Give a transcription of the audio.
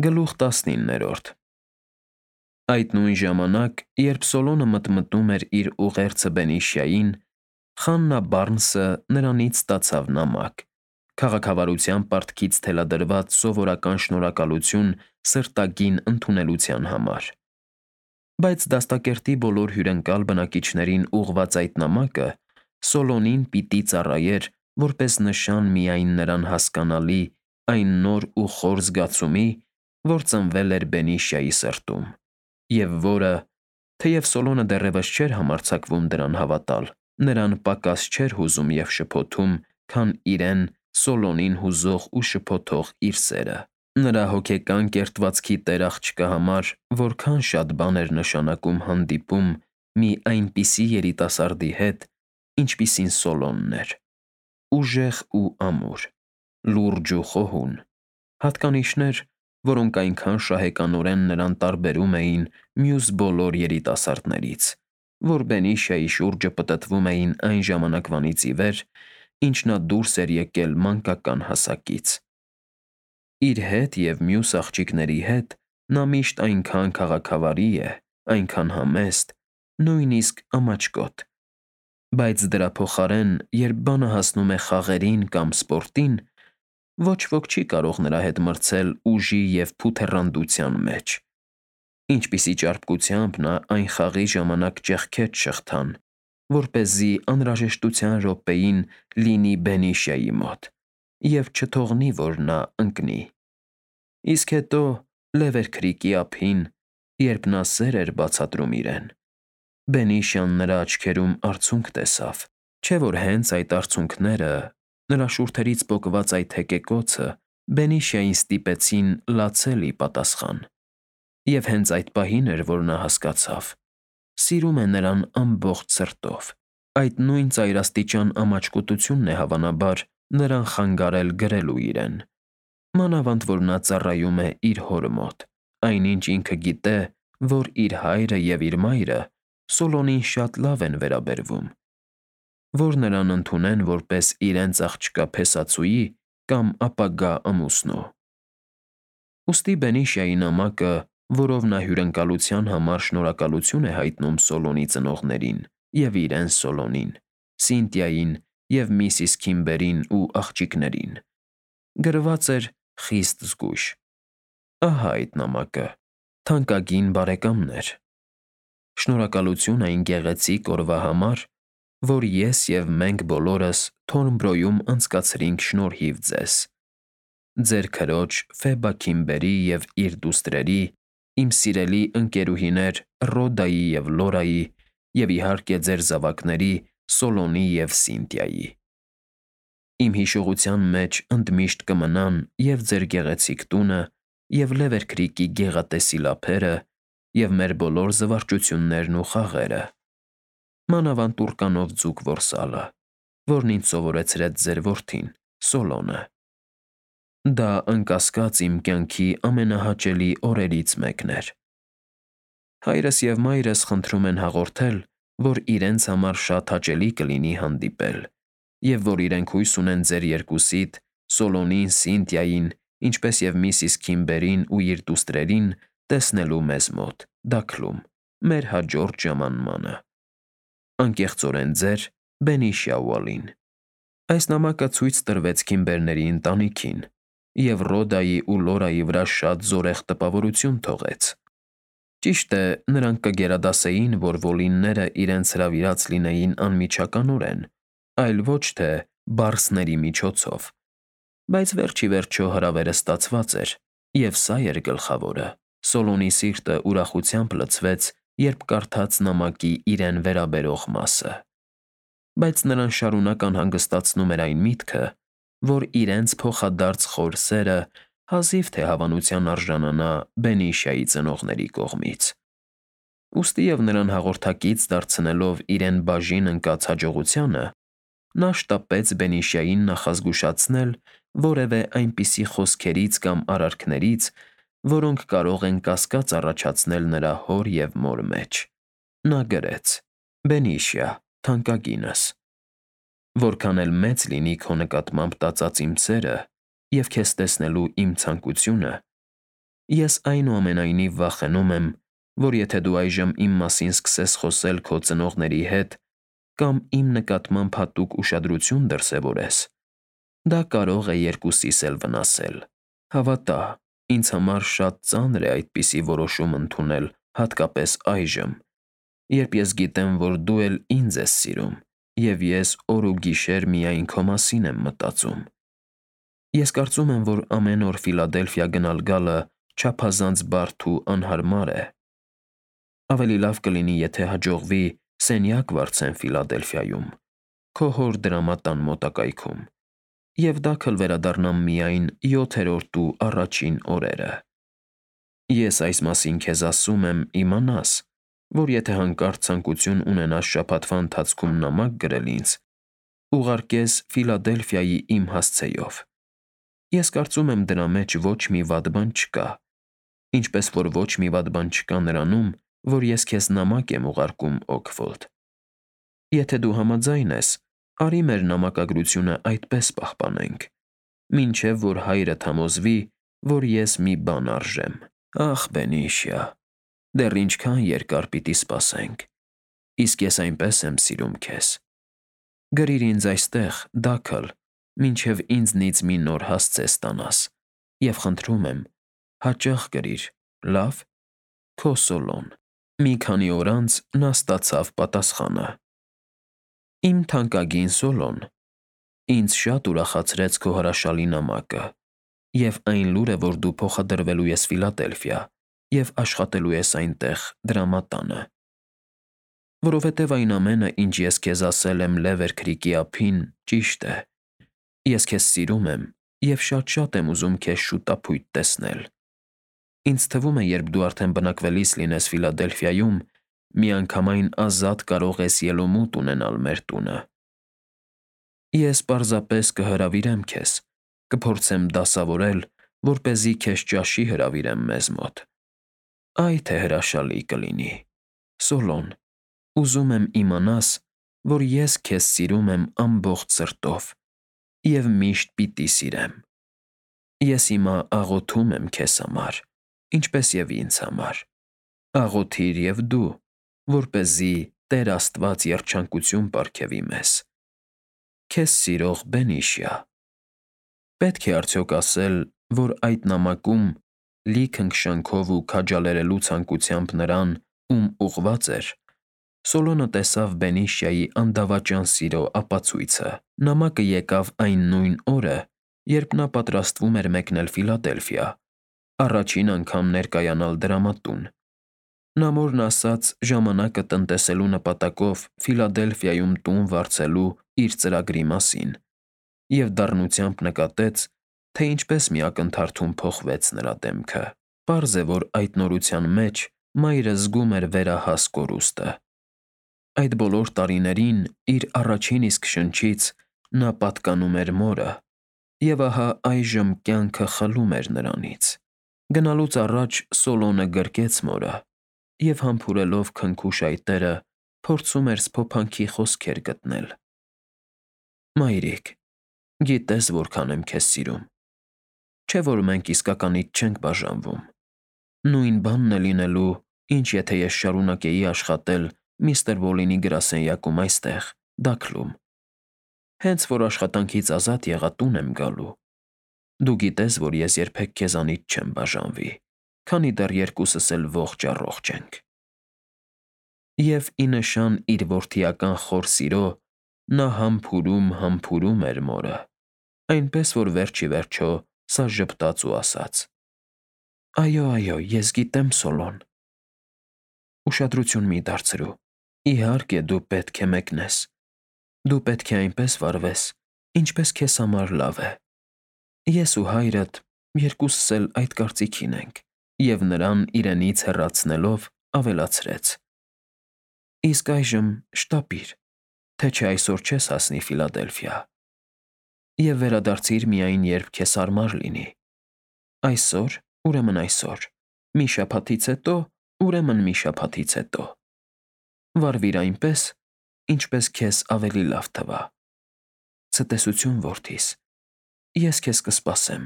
Գլուխ 19 Այդ նույն ժամանակ, երբ Սոլոնը մտմտում էր իր ուղերձը Բենիշիային, Խաննա Բարնսը նրանից ստացավ նամակ, քաղաքավարության պարտքից թելադրված սովորական շնորհակալություն սրտագին ընդունելության համար։ Բայց դաստակերտի բոլոր հյուրընկալ բնակիչներին ուղղված այդ նամակը Սոլոնին պիտի ծառայեր որպես նշան միայն նրան հասկանալի այն նոր ու խոր զգացումի, որ ծնվել էր Բենիշիայի սրտում, և որը, թեև Սոլոնը դեռևս չէր համարձակվում դրան հավատալ, նրան պակաս չէր հուզում և շփոթում, քան իրեն Սոլոնին հուզող ու շփոթող իր սերը։ Նրա հոգեկան կերտվածքի տեր աղջկա համար որքան շատ բան էր նշանակում հանդիպում մի այնպիսի երիտասարդի հետ, ինչպիսին Սոլոնն էր. ուժեղ ու ամուր, լուրջ ու խոհուն, հատկանիշներ, որոնք այնքան շահեկանորեն նրան տարբերում էին մյուս բոլոր երիտասարդներից, որ Բենիշիայի շուրջը պտտվում էին այն ժամանակվանից ի վեր, ինչ նա դուրս էր եկել մանկական հասակից։ Իր հետ և մյուս աղջիկների հետ նա միշտ այնքան քաղաքավարի է, այնքան համեստ, նույնիսկ ամաչկոտ, բայց դրա փոխարեն, երբ բանը հասնում է խաղերին կամ սպորտին, ոչ ոք չի կարող նրա հետ մրցել ուժի և փութեռանդության մեջ։ Ինչպիսի ճարպկությամբ նա այն խաղի ժամանակ ճեղքեց շղթան, որպեսզի անհրաժեշտության րոպեին լինի Բենիշիայի մոտ և չթողնի, որ նա ընկնի։ Իսկ հետո, Լևերքրիկի ափին, երբ նա սեր էր բացատրում իրեն, Բենիշիան նրա աչքերում արցունք տեսավ, չէ՞ որ հենց այդ արցունքները, նրա շուրթերից պոկված այդ հեկեկոցը Բենիշիային ստիպեցին լացել ի պատասխան։ Եվ հենց այդ պահին էր, որ նա հասկացավ. սիրում է նրան ամբողջ սրտով։ Այդ նույն ծայրաստիճան ամաչկոտությունն է հավանաբար նրան խանգարել գրելու իրեն, մանավանդ որ նա ծառայում է իր հոր մոտ, այնինչ ինքը գիտե, որ իր հայրը և իր մայրը Սոլոնին շատ լավ են վերաբերվում, որ նրան ընդունեն որպես իրենց աղջկա փեսածուի կամ ապագա ամուսնու։ Ուստի Բենիշիայի նամակը, որով նա հյուրընկալության համար շնորհակալություն է հայտնում Սոլոնի ծնողներին և իրեն Սոլոնին, Սինտիային և միսիս Քիմբերին ու աղջիկներին, գրված էր խիստ զգույշ։ Ահա այդ նամակը, թանկագին բարեկամներ։ Շնորհակալություն այն գեղեցիկ օրվա համար, որ ես և մենք բոլորս Թորնբրոյում անցկացրինք շնորհիվ ձեզ։ Ձեր քրոջ Ֆեբա Քիմբերի և իր դուստրերի, իմ սիրելի ընկերուհիներ Ռոդայի և Լորայի և, իհարկե, ձեր զավակների Սոլոնի և Սինտիայի։ Իմ հիշողության մեջ ընդմիշտ կմնան և ձեր գեղեցիկ տունը, և Լևերքրիկի գեղատեսիլ ափերը, և մեր բոլոր զվարճություններն ու խաղերը, մանավանդ տուրկանով ձուկ որսալը, որն ինձ սովորեցրեց ձեր որդին՝ Սոլոնը։ Դա, անկասկած, իմ կյանքի ամենահաճելի օրերից մեկն էր։ Հայրս և մայրս խնդրում են հաղորդել, որ իրենց համար շատ հաճելի կլինի հանդիպել, և որ իրենք հույս ունեն ձեր երկուսիդ՝ Սոլոնին, Սինտիային, ինչպես և միսիս Քիմբերին ու իր դուստրերին տեսնելու մեզ մոտ՝ Դաքլում, մեր հաջորդ ժամանմանը։ Անկեղծորեն ձեր Բենիշիա Ուոլին։ Այս նամակը ցույց տրվեց Քիմբերների ընտանիքին, և Ռոդայի ու Լորայի վրա շատ զորեղ տպավորություն թողեց։ Ճիշտ է, նրանք կգերադասեին, որ Ուոլինները իրենց հրավիրած լինեին անմիջականորեն, այլ ոչ թե բարսների միջոցով, բայց վերջ ի վերջո հրավերը ստացված էր, և սա էր գլխավորը։ Սոլոնի սիրտը ուրախությամբ լցվեց, երբ կարդաց նամակի իրեն վերաբերող մասը։ Բայց նրան շարունակ անհանգստացնում էր այն միտքը, որ իրենց փոխադարձ խոր սերը հազիվ թե հավանության արժանանա Բենիշիայի ծնողների կողմից։ Ուստի և նրան հաղորդակից դարձնելով իրեն բաժին ընկած հաջողությանը, նա շտապեց Բենիշիային նախազգուշացնել որևէ այնպիսի խոսքերից կամ արարքներից, որոնք կարող են կասկած առաջացնել նրա հոր և մոր մեջ։ Նա գրեց. «Բենիշիա, թանկագինս, որքան էլ մեծ լինի քո նկատմամբ տածած իմ սերը և քեզ տեսնելու իմ ցանկությունը, Ես այնուամենայնիվ վախենում եմ, որ եթե դու այժմ իմ մասին սկսես խոսել քո ծնողների հետ կամ իմ նկատմամբ հատուկ ուշադրություն դրսևորես, դա կարող է երկուսիս էլ վնասել։ Հավատա, ինձ համար շատ ծանր է այդպիսի որոշում ընդունել, հատկապես այժմ, երբ ես գիտեմ, որ դու էլ ինձ ես սիրում, և ես օր ու գիշեր միայն քո մասին եմ մտածում։ Ես կարծում եմ, որ ամեն օր Ֆիլադելֆիա գնալ֊գալը չափազանց բարդ ու անհարմար է։ Ավելի լավ կլինի, եթե հաջողվի սենյակ վարձեն Ֆիլադելֆիայում, քո հոր դրամատան մոտակայքում, և դա կվերադառնա միայն 7-րդ ու առաջին օրերը։ Ես այս մասին քեզ ասում եմ իմանաս, որ եթե հանկարծ ցանկություն ունենաս շաբաթվա ընթացքում նամակ գրել ինձ, ուղարկես Ֆիլադելֆիայի իմ հասցեով։ Ես կարծում եմ դրա մեջ ոչ մի վատ բան չկա, ինչպես որ ոչ մի վատ բան չկա նրանում, որ ես քեզ նամակ եմ ուղարկում Օքֆորդ։ Եթե դու համաձայն ես, արի մեր նամակագրությունը այդպես պահպանենք, մինչև որ հայրդ համոզվի, որ ես մի բան արժեմ։ Ախ, Բենիշիա, դեռ ինչքան երկար պիտի սպասենք, իսկ ես այնպես եմ սիրում քեզ։ Գրիր ինձ այստեղ, դաքլ, մինչև ինձնից մի նոր հասցե ստանաս, և խնդրում եմ, հաճախ գրիր, լավ։ Քո Սոլոն։ Մի քանի օր անց նա ստացավ պատասխանը. Իմ թանկագին Սոլոն, ինձ շատ ուրախացրեց քո հրաշալի նամակը և այն լուրը, որ դու փոխադրվելու ես Ֆիլադելֆիա և աշխատելու ես այնտեղ դրամատանը։ Որովհետև այն ամենը, ինչ ես քեզ ասել եմ Լևեր Քրիքի ափին, ճիշտ է։ Ես քեզ սիրում եմ և շատ եմ ուզում քեզ շուտապույտ տեսնել։ Ինձ թվում է, երբ դու արդեն բնակվելիս լինես Ֆիլադելֆիայում, միանգամայն ազատ կարող ես ելումուտ ունենալ մեր տունը։ Ես պարզապես կհրավիրեմ քեզ, կփորձեմ դասավորել, որպեսզի քեզ ճաշի հրավիրեմ մեզ մոտ։ Այ թե հրաշալի կլինի։ Սոլոն, ուզում եմ իմանաս, որ ես քեզ սիրում եմ ամբողջ սրտով և միշտ պիտի սիրեմ։ Ես հիմա աղոթում եմ քեզ համար, ինչպես և ինձ համար։ Աղոթիր և դու, որպեսզի Տեր Աստված երջանկություն պարգևի մեզ։ Քեզ սիրող Բենիշիա։ Պետք է արդյոք ասել, որ այդ նամակում լի քնքշանքով ու քաջալերելու ցանկությամբ նրան, ում ուղղված էր, Սոլոնը տեսավ Բենիշիայի անդավաճան սիրո ապացույցը։ Նամակը եկավ այն նույն օրը, երբ նա պատրաստվում էր մեկնել Ֆիլադելֆիա, առաջին անգամ ներկայանալ դրամատուն։ Նա մորն ասած ժամանակը տնտեսելու նպատակով Ֆիլադելֆիայում տուն վարձելու իր ծրագրի մասին և դառնությամբ նկատեց, թե ինչպես մի ակնթարթում փոխվեց նրա դեմքը։ Պարզ է, որ այդ նորության մեջ մայրը զգում էր վերահաս կորուստը։ Այդ բոլոր տարիներին իր առաջին իսկ շնչից նա պատկանում էր մորը, և ահա այժմ կյանքը խլում էր նրանից։ Գնալուց առաջ Սոլոնը գրկեց մորը և համբուրելով քնքուշ այտերը, փորձում էր սփոփանքի խոսքեր գտնել։ Մայրիկ, գիտես որքան եմ քեզ սիրում։ Չէ՞ որ մենք իսկականից չենք բաժանվում։ Նույն բանն է լինելու, ինչ եթե ես շարունակեի աշխատել միստր Բոլինի գրասենյակում այստեղ, Դաքլում։ Հենց որ աշխատանքից ազատ եղա, տուն եմ գալու։ Դու գիտես, որ ես երբեք քեզանից չեմ բաժանվի, քանի դեռ երկուսս էլ ողջ֊առողջ ենք։ Եվ ի նշան իր որդիական խոր սիրո, նա համբուրում էր մորը, այնպես որ վերջ ի վերջո սա ժպտաց ու ասաց. Այո, այո, ես գիտեմ, Սոլոն։ Ուշադրություն մի դարձրու։ Իհարկե, դու պետք է մեկնես։ Դու պետք է այնպես վարվես, ինչպես քեզ համար լավ է։ Ես ու հայրդ երկուսս էլ այդ կարծիքին ենք։ Եվ նրան իրենից հեռացնելով ավելացրեց. Իսկ այժմ շտապիր, թե չէ այսօր չես հասնի Ֆիլադելֆիա։ Եվ վերադարձիր միայն, երբ քեզ հարմար լինի։ Այսօր, ուրեմն այսօր, մի շաբաթից հետո, ուրեմն մի շաբաթից հետո։ Վարվիր այնպես, ինչպես քեզ ավելի լավ թվա։ Ցտեսություն, որդիս, ես քեզ կսպասեմ։